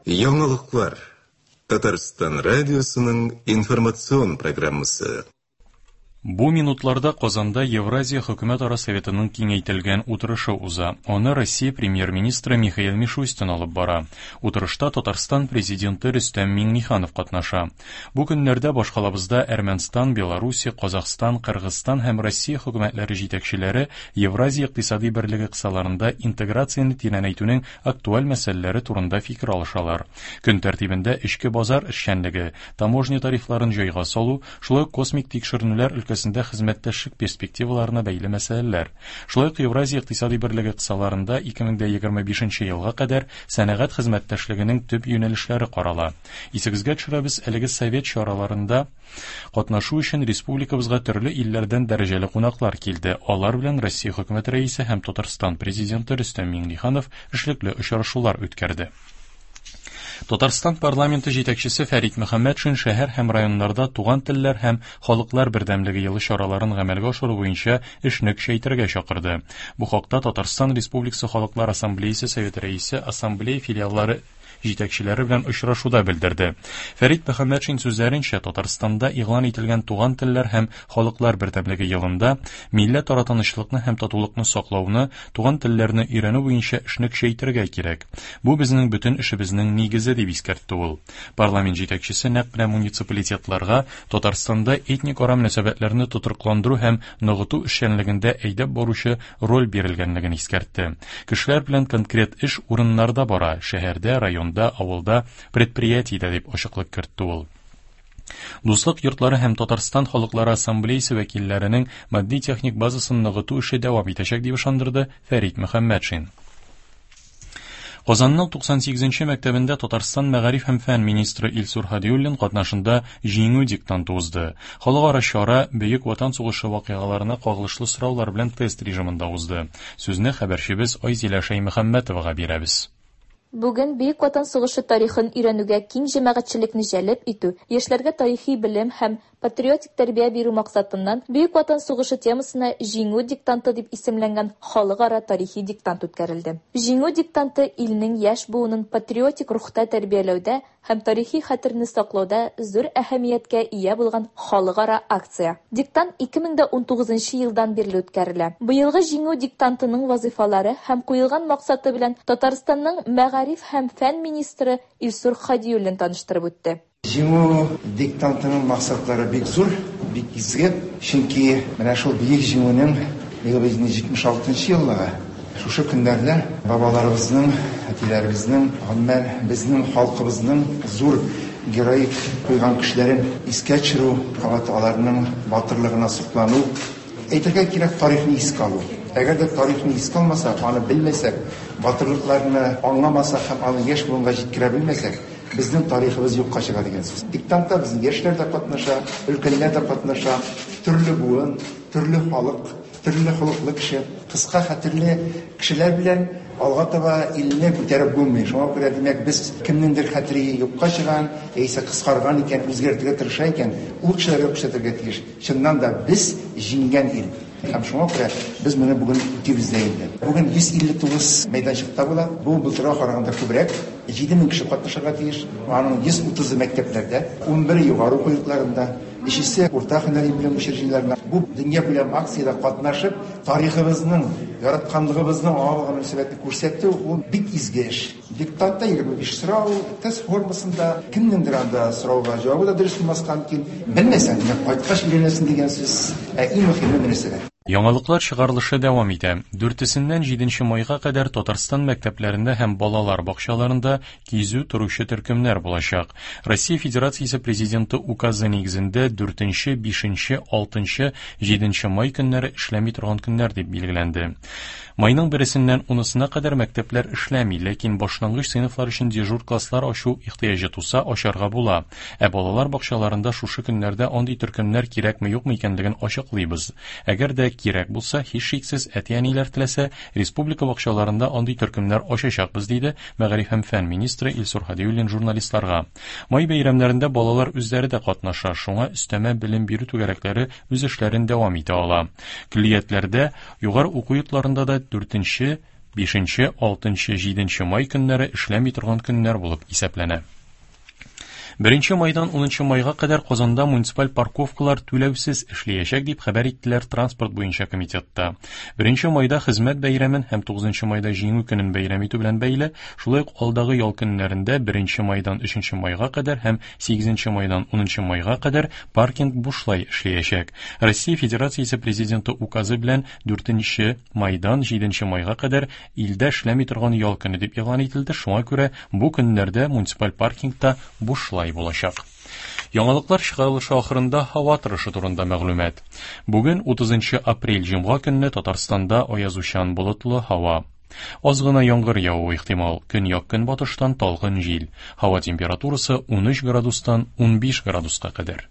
Яңалыклар. Татарстан радиосының информацион программасы. Бу минутларда Казанда Евразия хөкүмәтара советының киңәйтелгән утырышы уза. Аны Россия премьер-министры Михаил Мишустин алып бара. Утырышта Татарстан президенты Рөстәм Миңнеханов катнаша. Бу көннәрдә башкалабызда Әрмәнстан, Белоруссия, Казахстан, Кыргызстан һәм Россия хөкүмәтләре җитәкчеләре Евразия икътисади берлеге кысаларында интеграцияне тирәнәйтүнең актуаль мәсьәләләре турында фикер алышалар. Көн тәртибендә эчке базар эшчәнлеге, таможня тарифларын җайга салу, шулай ук космик тикшеренүләр өлкәсендә хезмәттәшлек перспективаларына бәйле мәсьәләләр. Шулай ук Евразия икътисади берлеге кысаларында 2025 елга кадәр сәнәгать хезмәттәшлегенең төп юнәлешләре карала. Исегезгә төшерәбез, әлеге совет чараларында катнашу өчен республикабызга төрле илләрдән дәрәҗәле кунаклар килде. Алар белән Россия Хөкүмәте Рәисе һәм Татарстан Президенты Рөстәм Миңнеханов эшлекле очрашулар үткәрде. Татарстан парламенты җитәкчесе Фәрит Мөхәммәтшин шәһәр һәм районнарда туган телләр һәм халыклар бердәмлеге елы чараларын гамәлгә ашыру буенча эшне көчәйтергә чакырды. Бу хакта Татарстан Республикасы Халыклар Ассамблеясе Советы рәисе ассамблея филиаллары җитәкчеләре белән очрашуда белдерде. Фәрит Мөхәммәтшин сүзләренчә, Татарстанда игълан ителгән туган телләр һәм халыклар бердәмлеге елында милләтара тынычлыкны һәм татулыкны саклауны, туган телләрне өйрәнү буенча эшне көчәйтергә кирәк. Бу безнең бөтен эшебезнең нигезе, дип искәртте ул. Парламент җитәкчесе нәкъ менә муниципалитетларга Татарстанда этникара мөнәсәбәтләрне тотрыкландыру һәм ныгыту эшчәнлегендә әйдәп баручы роль бирелгәнлеген искәртте. Кешеләр белән конкрет эш урыннарда бара, шәһәрдә, районда, авылда, предприятиедә, дип ачыклык кертте ул. Дуслык йортлары һәм Татарстан халыклары ассамблеясе вәкилләренең матди-техник базасын ныгыту эше дәвам итәчәк, дип ышандырды Фәрит Мөхәммәтшин. Казанның 98 нче мәктәбендә Татарстан мәгариф һәм фән министры Илсур Һадиуллин катнашында Җиңү диктанты узды. Халыкара чара Бөек Ватан сугышы вакыйгаларына кагылышлы сораулар белән тест режимында узды. Сүзне хәбәрчебез Айзилә Шәймөхәммәтовага бирәбез. Бүген Бөек Ватан сугышы тарихын өйрәнүгә киң җәмәгатьчелекне җәлеп итү, яшьләргә тарихи белем һәм патриотик тәрбия бирү максатыннан Бөек Ватан сугышы темасына Җиңү диктанты дип исемләнгән халыкара тарихи диктант үткәрелде. Җиңү диктанты илнең яшь буынын патриотик рухта тәрбияләүдә һәм тарихи хәтерне саклауда зур әһәмияткә ия булган халыкара акция. Диктант 2019 нчы елдан бирле үткәрелә. Быелгы Җиңү диктантының вазыйфалары һәм куелган максаты белән Татарстанның мәгариф һәм фән министры Илсур Һадиуллин таныштырып үтте. Җиңү диктантының максатлары бик зур, бик изге. Чөнки менә шул Бөек Җиңүнең быел бит инде 76 нчы еллыгы. Шушы көннәрдә бабаларыбызның, әтиләребезнең, гомумән, безнең халкыбызның зур героик куйган көчләрен искә төшерү, кабат аларның батырлыгына соклану, әйтергә кирәк, тарихны искә алу. Әгәр дә тарихны искә алмасак, аны белмәсәк, батырлыкларны аңламасак һәм аны яшь буынга җиткерә белмәсәк, безнең тарихыбыз юкка чыга дигән сүз. Диктантта безнең яшьләр дә катнаша, өлкәннәр дә катнаша, төрле буын, төрле халык. Төрле холыклы кеше, кыска хәтерле кешеләр белән алга таба илне күтәреп булмый. Шуңа күрә, димәк, без кемнеңдер хәтере юкка чыган, яисә кыскарган икән, үзгәртергә тырыша икән, ул кешеләргә күрсәтергә тиеш. Чыннан да, без җиңгән ил. Һәм шуңа күрә без моны бүген үтибез дә инде. Бүген 159 мәйданчыкта була. Бу былтырга караганда күбрәк. 7000 кеше катнашырга тиеш. Аның 130-ы мәктәпләрдә, 11-е югары уку йортларында. Өчесе урта һөнәри белем учреждениеләрендә. Бу дөньякүләм акциядә катнашып, тарихыбызның, яратканлыгыбызның аңа булган мөнәсәбәтне күрсәтү, ул бик изге эш. Диктантта 25 сорау, тест формасында, кемнеңдер анда сорауга җавабы да дөрес булмаска мөмкин. Белмәсәң, димәк, кайткач өйрәнәсең дигән сүз. Ә иң мөһиме мөнәсәбәт. Яңалыклар чыгарылышы дәвам итә. Дүртесеннән җиденче майга кадәр Татарстан мәктәпләрендә һәм балалар бакчаларында кизү торучы төркемнәр булачак. Россия Федерациясе Президенты указы нигезендә дүртенче, бишенче, алтынчы, җиденче май көннәре эшләми торган көннәр дип билгеләнде. Майның бересеннән унысына кадәр мәктәпләр эшләми, ләкин башлангыч сыйныфлар өчен дежур класслар ачу ихтыяҗы туса, ачарга була. Ә балалар бакчаларында шушы көннәрдә андый төркемнәр кирәкме-юкмы икәнлеген ачыклыйбыз. Әгәр дә кирәк булса, һичшиксез, әти-әниләр теләсә, республика бакчаларында андый төркемнәр ачачакбыз, диде Мәгариф һәм фән министры Илсур Һадиуллин журналистларга. Май бәйрәмнәрендә балалар үзләре дә катнаша, шуңа өстәмә белем бирү түгәрәкләре үз эшләрен дәвам итә ала. Көллиятләрдә, югары уку йортларында да дүртенче, 5, 6, 7 май көннәре эшләми торган көннәр булып исәпләнә. 1 майдан 10 майга кадәр Казанда муниципаль парковкалар түләүсез эшләячәк, дип хәбәр иттеләр транспорт буенча комитетта. 1 майда хезмәт бәйрәмен һәм 9 майда Җиңү көнен бәйрәм итү белән бәйле, шулай ук алдагы ял көннәрендә 1 майдан 3 майга кадәр һәм 8 майдан 10 майга кадәр паркинг бушлай эшләячәк. Россия Федерациясе Президенты указы белән 4 майдан 7 майга кадәр илдә эшләми торган ял көне дип игълан ителде, шуңа күрә бу көннәрдә муниципаль паркингта бушлай булачак. Яңалыклар чыгарылышы ахырында һава торышы турында мәгълүмат. Бүген 30 апрель җомга көнне Татарстанда аязучан болытлы һава. Аз гына яңгыр явуы ихтимал. Көньяк-көнбатыштан талгын җил. Һава температурасы 13 градустан 15 градуска кадәр.